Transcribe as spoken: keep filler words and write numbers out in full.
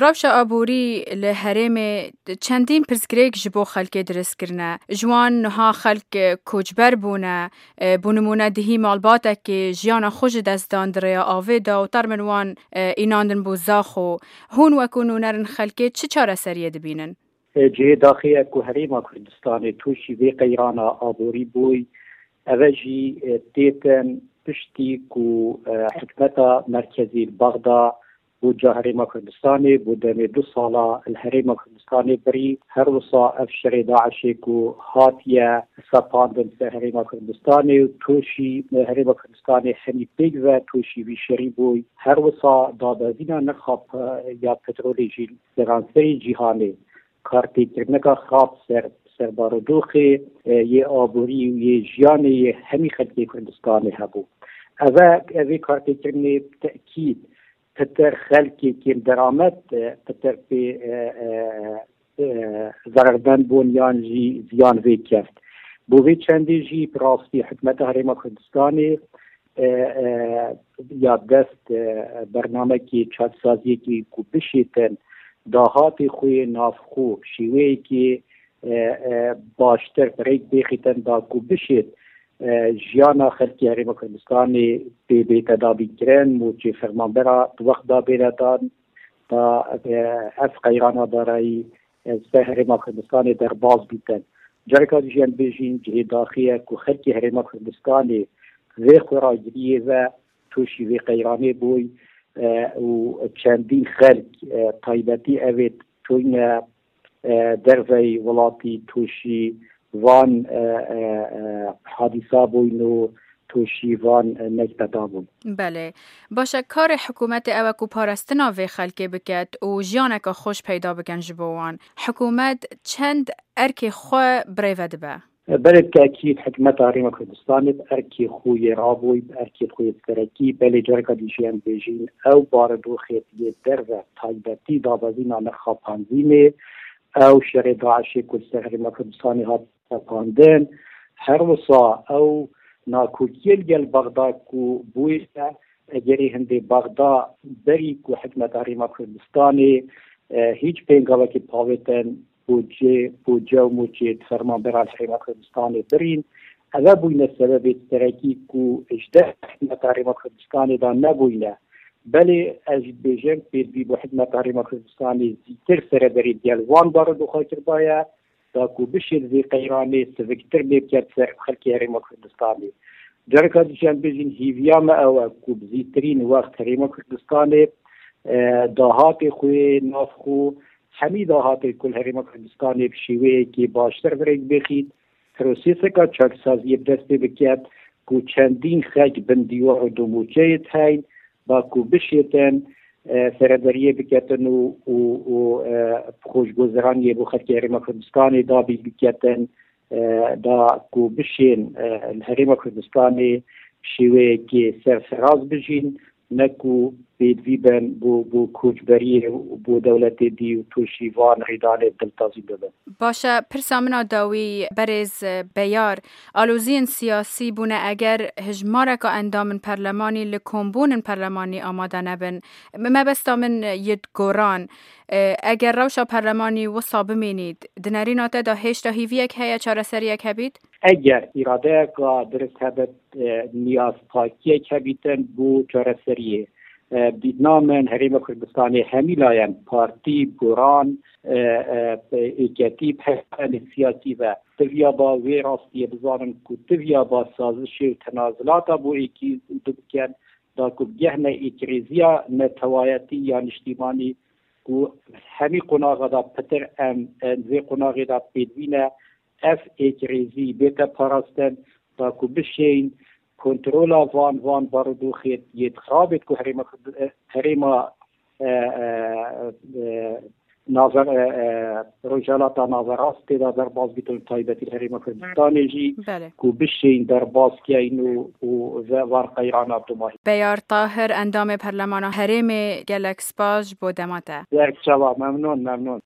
Rewşa aborî li herêmê çendîn pirsgirêk ji bo xelkê dirist kirine. Ji wan niha xelk koçber bûne. E, bo nimûne di hî malbatekê jiyana xwe ji dest dan di rêya avê de û termin wan, e, înandin bo Zaxo. Hûn wekû nûnerin xelkê çi çareseriyê dibînin? E, cihê daxê ye ku Herêma Kurdistanê tûşî vê qeyrana aborî bûy. Eve jî, e, têtin piştî ku, e, hikûmeta merkezî li Bexda bo ca Herêma Kurdistanê bo demê du sala li Herêma Kurdistanê birî. Her wisa ev şerê DAIŞê ku hatiye sepandin ser Herêma Kurdistanê û tûşî Herêma Kurdistanê hemî pêk ve tûşî vî şerî bûy. Her wisa dabezîna nirxa pe-, ya petrolê jî li seranserê cîhanê kartêkirina xirab ser, ser barodoxê, e, yê aborî û yê jiyanê yê hemî xelkê Kurdistanê hebû. Eve, evê kartêkirinê bi tekîd pitir xelkê kêm deramet, e, pitir pê, e, e, e, zerermend bûn yan jî ziyan vê keft. Bo vê çendê jî bi rastî hikûmeta Herêma Kurdistanê, e, e, ya dest, e, bernamekî çaksaziyekî ku bişêtin dahatê xwe yê navxwe şêweyekî, e, e, baştir bi rêk bêxîtin da ku bişêt, e, jiyana xelkê Herêma Kurdistanê pê bête dabînkirin, mûçê fermanbera di wext da bêne dan, da, e, ev qeyrana darayî, e, ser Herêma Kurdistanê derbas bîtin. Careka dî jî em bêjîn cihê daxê ye ku xelkê Herêma Kurdistanê vê xweragiriyê ve tûşî vê qeyranê bûy, e, û çendîn xelk, e, taybetî evê tûyne, e, derveyî welatî tûşî van, e, e, e, hadîsa bûyn û tûşî van, e, nekte da bûn. Belê. Baş e, karê hikûmetê ew e ku parastina vê xelkê biket û jiyaneke xweş peyda bikin ji bo wan. Hikûmet çend erkê xwe birêve dibe? Belê, bi tekîd hikûmeta Herêma Kurdistanê bi erkê xwe yê rabûy, bi erkê xwe yê serekî, belê careka dî jî em bêjîn, ew barodoxê yê derve taybetî dabezîna nirxa benzînê, ew şerê DAIŞê ku li ser Herêma Kurdistanê hat sepandin, her wisa ew nakokiyê li gel Bexda ku bûye, egerê hindê Bexda berî ku hikûmeta Herêma Kurdistanê, e, hîç pêngavekî pavêtin, bo cê, bo ce û mûçê di fermanbera li Herêma Kurdistanê birîn. Eve bûyne sebebê serekî ku ji dest hikûmeta Herêma Kurdistanê de nebûyne. Belê ez jî dibêjim, pêdivî bo hikûmeta Herêma Kurdistanê zîtir serederî gel wan barodoxa kiribaye, da ku bişên vê qeyranê siviktir lê biket ser xelkê Herêma Kurdistanê. Careka dî jî em bêjin hîviya me ew e ku bi zîtirîn wext Herêma Kurdistanê, e, dahatê xwe, nav xwe, hemî dahatê ku li Herêma Kurdistanê bi şêweyekî baştir bi rêk bêxît, proseseka çaksaziyê bi dest pê biket ku çendîn xelk bin dîwar û domûçeyê diheyn, ba ku bişêtin, e, seredariyê biketin û, û, û, e, xweşguzeraniyê bo xelkê Herêma Kurdistanê dabî biketin, e, da ku bişên, e, li Herêma Kurdistanê şêweyekê serfiraz bijîn, ne ku pêdivî bin bo, bo koçberiyê û bo dewletê dî û tûşî van rîdanê diltazî bibin. Baş e, pirsa min a dawî, berêz Beyar, aloziyên siyasî bûne eger hijmareka endamên perlemanî li kombûnên perlemanî amade nebin. Mebesta min yê goran, e, eger rewşa perlemanî wisa bimînît, di nerîna te de hêşta hîviyek heye çareseriyek hebît? Eger îradeyeka dirist hebit, e, niyazpakiyek hebîtin bo çareseriyê. E, bi dîtina min Herêma Kurdistanê hemî layen, partî, guran, e, e, êketî, bi hevalên siyasî ve, tiviya ba wê rastiyê bizanin ku tiviya ba sazişê û tenazilata bo êkî û du bikin, da ku bigehne êkrêziya netewayetî ya niştîmanî ku hemî qonaxa da pitir em, em vê qonaxê da pêdivî ne, ev êkrêzî bête parastin, da ku bişên kontrola van, van barodoxê yê xirabê ku herêma, herêma, e, e, e, nave-, e, e, Rojhelata Naverast tê de derbas bîtin, taybetî herêma Kurdistanê jî Belê. Ku bişên derbas keyn û, û ve van qeyrana dumahî. Beyar Tahir, endamê Perlemana Herêmê, gelek spas ji bo dema te. Serçava, memnûn, memnûn.